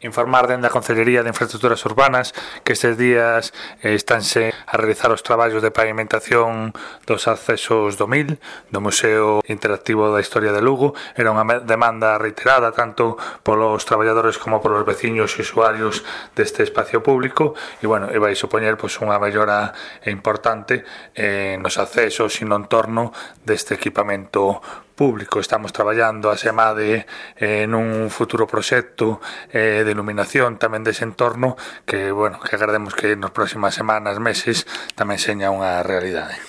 Informar dende a Concellería de Infraestructuras Urbanas que estes días estánse a realizar os traballos de pavimentación dos accesos do MIL, do Museo Interactivo da Historia de Lugo. Era unha demanda reiterada tanto polos traballadores como polos veciños e usuarios deste espacio público e, e vai supoñer unha mellora importante nos accesos e no entorno deste equipamento público. Estamos traballando a SEMADE nun futuro proxecto de iluminación tamén dese entorno que agardemos que nas próximas semanas, meses, tamén seña unha realidade.